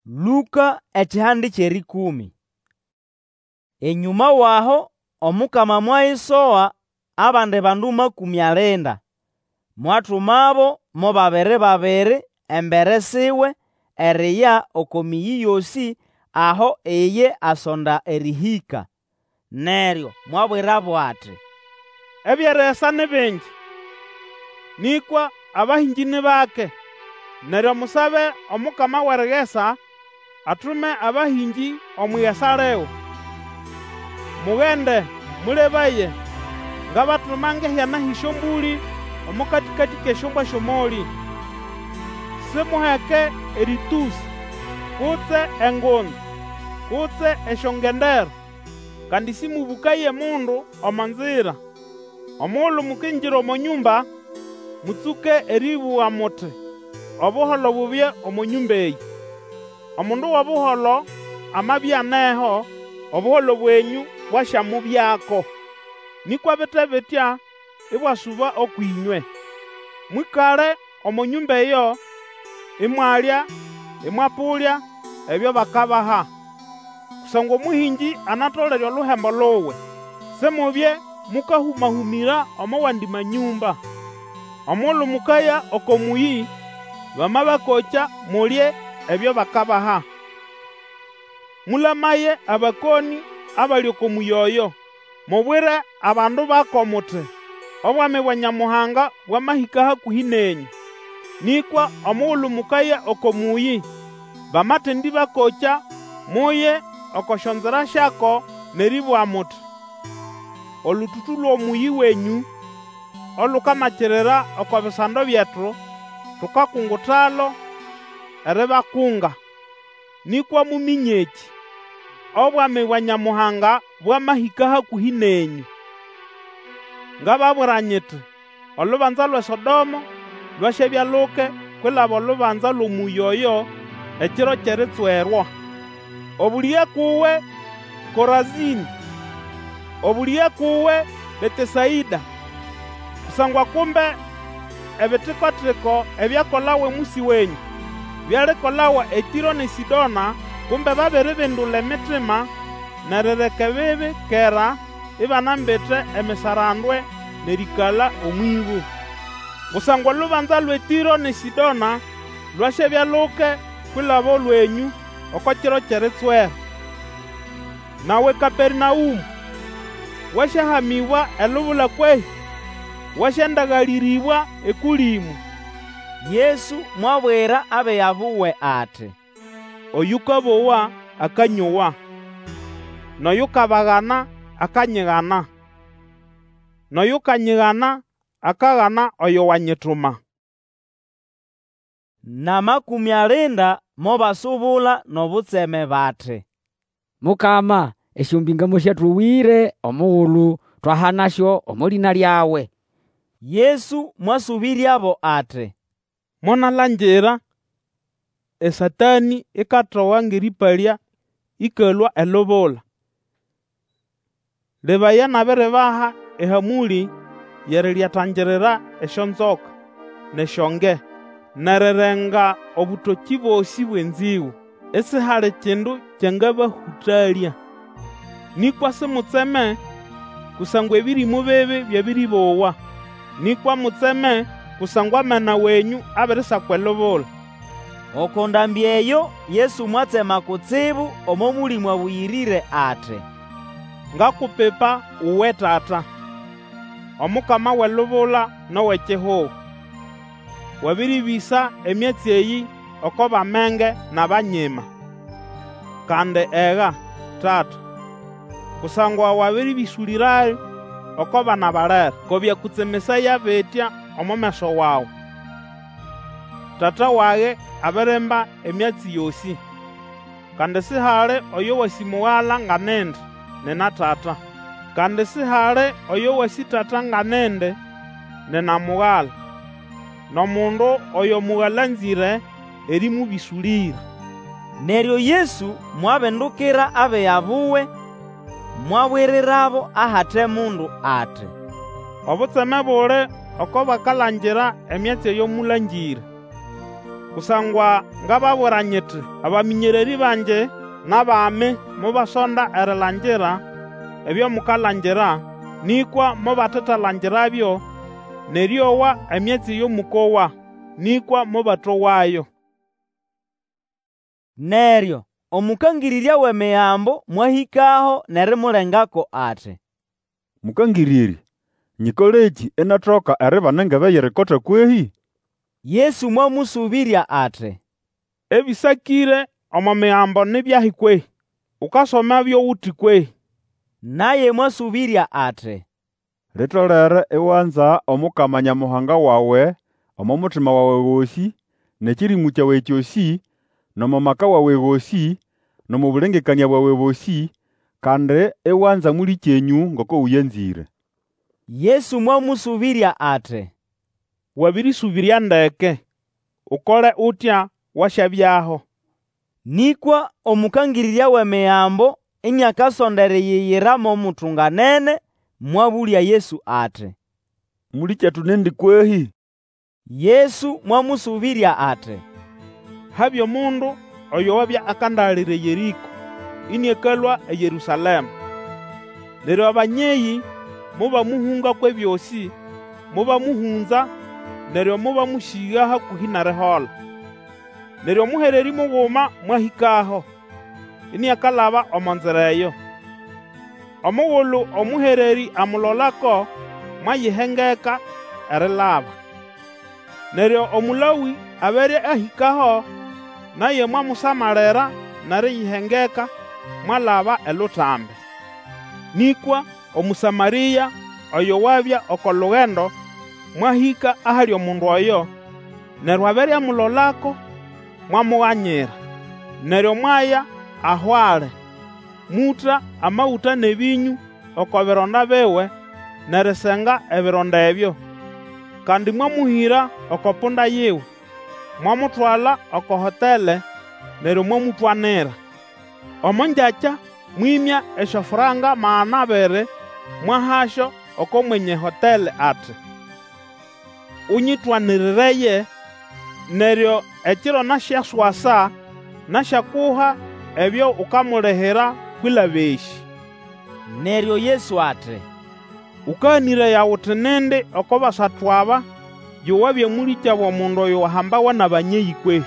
Lũka ekihande ky'erĩkũmĩ. Enyũma w'aho Omukama mwayisoga abandi bandu makũmĩ alinda, mwatumabo mo babiri-babiri embere siwe eriya oko mĩyĩ yosĩ aho iye asonda erĩhĩka. Neryo mwabwirabo ati, Eby'erigesa ni bingi, nĩkwa abahĩngĩ ni bake. Neryo musabe Omukama w'erigesa atume abahĩngĩ omw'igesa liwe. Mugende! Mũlebaye, ngabatuma ng'ehyana hy'esyombũlĩ omo katĩkatĩ k'esyombwa sy'omolĩ. Simuheke erĩtũsĩ, kutse engunza, kutse esyongendero, kandi sĩmũbũkaye mundu omo nzira. Omugulu mukingira omo nyũmba, mũtsũke erĩbũga muti, Obuholo bubye omo nyũmba eyĩ. Omundu w'obuholo amabya aneho, obuholo bwenyũ bwasyamubyako. Nĩkwa bite bitya, ibwasuba ũkw'ĩnywe. Mwĩkale omo nyũmba eyo, imwalya, ĩmwapũlya ebyo bakabaha, kusangwa omũhĩngĩ anatolere oluhembo luwe. Simubye mũkahũma-hũmĩra omo wandi manyũmba. Omugulu mukaya oko mũyĩ, bamabakokya mulye ebyo bakabaha. Mũlamaye abakonĩ abali oko mũyĩ oyo, mubwire abandu bako muti, Obwami bwa Nyamuhanga bwamahĩka hakũhĩ nenyũ. Nĩkwa omugulu mukaya oko mũyĩ, bamatendĩbakokya, muye oko syonzira syako n'erĩbũga muti, Olũtũtũ lw'omũyĩ wenyũ olukamakirira oko bisando byetu, tukakungutalo eribakunga. Nĩkwa muminye ekĩ, Obwami bwa Nyamuhanga bwamahĩka hakũhĩ nenyũ. Ngababwira nyiti, Olubanza lw'eSodomo lwasyabya luke kwilaba olubanza lw'omũyĩ oyo ekiro ky'eritswerwa. Obũlĩge kuwe, Korazĩnĩ! Obũlĩge kuwe, Betesaĩda! Kusangwa kumbe ebitiko-tiko ebyakolawa omũsĩ wenyũ byalikolawa eTĩro n'eSĩdona, kumbe babiribindula emitima n'erireka ebibi kera ibanambite emisarandwe n'erĩĩkala omw'ĩbũ. Kusangwa olubanza lw'eTĩro n'eSĩdona lwasyabya luke kwilaba olwenyũ oko kiro ky'eritswera. Nawe Kapernaũmũ, wasyahamĩbwa elubula kwehĩ? Wasyandagalĩrĩbwa Ekũlĩmũ. Yesu mwabwira abiga buwe ati, Oyũkabowa akanyowa, n'oyukabagana akanyigana, n'oyukanyigana akagana oyo wanyituma. N'amakũmĩ alinda mobasubula n'obutseme bati, Mukama, esyombĩnga mosyatowĩre omugulu twahanasyo omo lĩna lyawe. Yesu mwasũbĩryabo ati, Monalangira eSatanĩ ikatoga ng'erĩpalya ĩkalũa elubula. Lebaya, nabiribaha ehamũlĩ y'erilyatangirira esyonzoka n'esyonge, n'erirenga obũtokĩ bosĩ bw'enzĩgũ; isihali kindu kyangabahũtalya. Nĩkwa simutseme kusangwa ebĩrĩmũ bibi byabĩrĩbowa, nĩkwa mutseme kusangwa amena wenyũ abirisakwa elubula. Oko ndambĩ eyo Yesu mwatsema kutsibu omo Mũlĩmũ Abũyĩrĩre ati, Ngakupipa uwe Tata, Omukama w'elubula n'ow'ekihugo. Wabĩrĩbĩsa emyatsi eyĩ oko b'amenge n'abanyima. Kandi ega, Tata, kusangwa wabĩrĩbĩsũlĩrayo oko bana balere, ko byakũtsemesaya bitya omo meso wawe. Tata wage abirimba emyatsi yosĩ. Kandi sihali oyo wasĩ Mugala nga nindi, nina Tata. Kandi sihali oyo wasĩ Tata nga nindi, nina Mugala, n'omundu oyo Mugala anzĩre erĩmũbĩsũlĩra. Neryo Yesu mwabindukira abiga buwe, mwabwirirabo ahate mundu ati, Obutseme buli oko bakalangira emyatsi eyo mũlangĩre. Kusangwa ngababwira nyiti, Abamĩnyererĩ bangi n'abami mobasonda erilangira ebyo mukalangira, nĩkwa mobatetalangirabyo, n'erĩowa emyatsi eyo mũkowa, nĩkwa mobatowayo. Neryo omũkangĩrĩrya w'Emigambo mwahĩkaho n'erimulengako ati, Mũkangĩrĩrya, nyĩkolekĩ inatoka eribana engebe y'erikota kwehĩ? Yesu mwamũsũbĩrya ati, Ebĩsakĩre omo Migambo ni byahi kwehĩ? Ukasomabyo uti kwehĩ? Naye mwasũbĩrya ati, Litolere iwanza Omukama Nyamuhanga wawe omo mutima wawe gosĩ, n'ekĩrĩmũ kyawe kyosĩ, n'omo maka wawe gosĩ, n'omo bũlengekanĩa bwawe bosĩ, kandi iwanza mũlĩkyenyũ ngoko ũyanzĩre. Yesu mwamũsũbĩrya ati, Wabĩrĩsũbĩrya ndeke, Ukole utya, wasyabyaho. Nĩkwa omũkangĩrĩrya w'Emigambo iniakasonda eriyiyira mo mutunganene, mwabũlya Yesu ati, Mũlĩkyetu nindi kwehĩ? Yesu mwamũsũbĩrya ati, Habya omundu oyo wabya akandagalira eYerĩko, ĩnĩakalũa eYerũsalema. Neryo abanyeyĩ mobamũhũnga kw'ebyosĩ, mobamũhũnza, neryo mobamũsĩga hakũhĩ n'erihola. Neryo omũhererĩ muguma mwahĩkaho, iniakalaba omo nzira eyo. Omugulu omũhererĩ amulolako, mwayihengeka erilaba. Neryo Omũlawĩ abere ahĩkaho, naye mwamusamalira n'eriyihengeka, mwalaba elutambi. Nĩkwa Omũsamarĩa oyo wabya oko lugendo mwahĩka ahali omundu oyo, neryo abere amulolako, mwamuganyira. Neryo mwaya aho ali, mũta amagũta n'ebĩnyũ oko bironda biwe n'erisenga ebironda ebyo. Kandi mwamũhĩra oko punda yiwe, mwamutwala oko hotele, neryo mwamũtwanira. Omo ngyakya mwĩmya esyofranka 200 mwahasyo oko mwenye hotele ati, Ũnyĩtwanirireye, neryo ekiro nasyaswasa nasyakuha ebyo ukamulihira kwilaba esĩ. Neryo Yesu ati, Ũkaganĩraya uti nindi oko basatu aba yo wabya mũlĩkyabo w'omundu oyo wahambawa n'abanyeyĩ kwehĩ?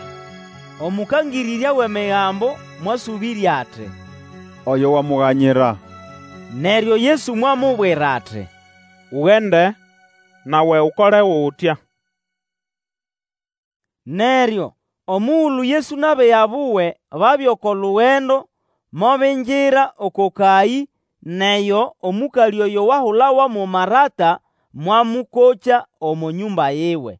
Omũkangĩrĩrya w'Emigambo mwasũbĩrya ati, Oyo wamuganyira. Neryo Yesu mwamubwira ati, Ugende, nawe ukole utya. Neryo omugulu Yesu n'abiga buwe babya oko lugendo, mobingira oko kayĩ, n'eyo omũkalĩ oyo wahulawa mo Marata mwamũkokya omo nyũmba yiwe.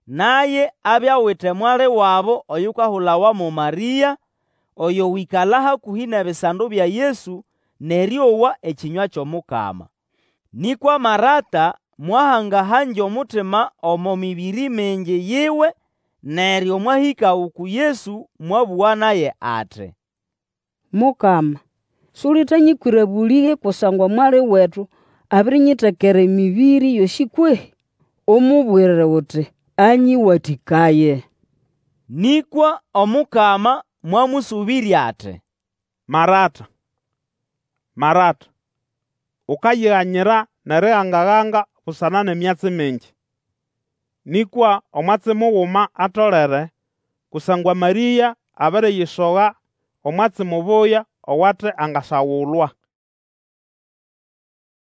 Naye abya awite mwali wabo oyukahulawa mo Marĩa, oyo wĩkala hakũhĩ n'ebisando bya Yesu n'erĩowa ekĩnywa ky'Omukama. Nĩkwa Marata mwahanga-hangya omutima omo mĩbĩrĩ mingi yiwe, neryo mwahĩka uku Yesu mwabũga naye ati, Mukama, sulitanyĩkwĩra bũlĩge kusangwa mwali wetu abirinyitekera emĩbĩrĩ yosĩ kwehĩ? Umubwire uti anyĩwatĩkaye. Nĩkwa Omukama mwamũsũbĩrya ati, Marata, Marata, ukayiganyira n'eriganga-ganga busana n'emyatsi mingi. Nĩkwa omwatsi muguma atolere, kusangwa Marĩa abiriyisoga omwatsi mubuya owate angasagulwa.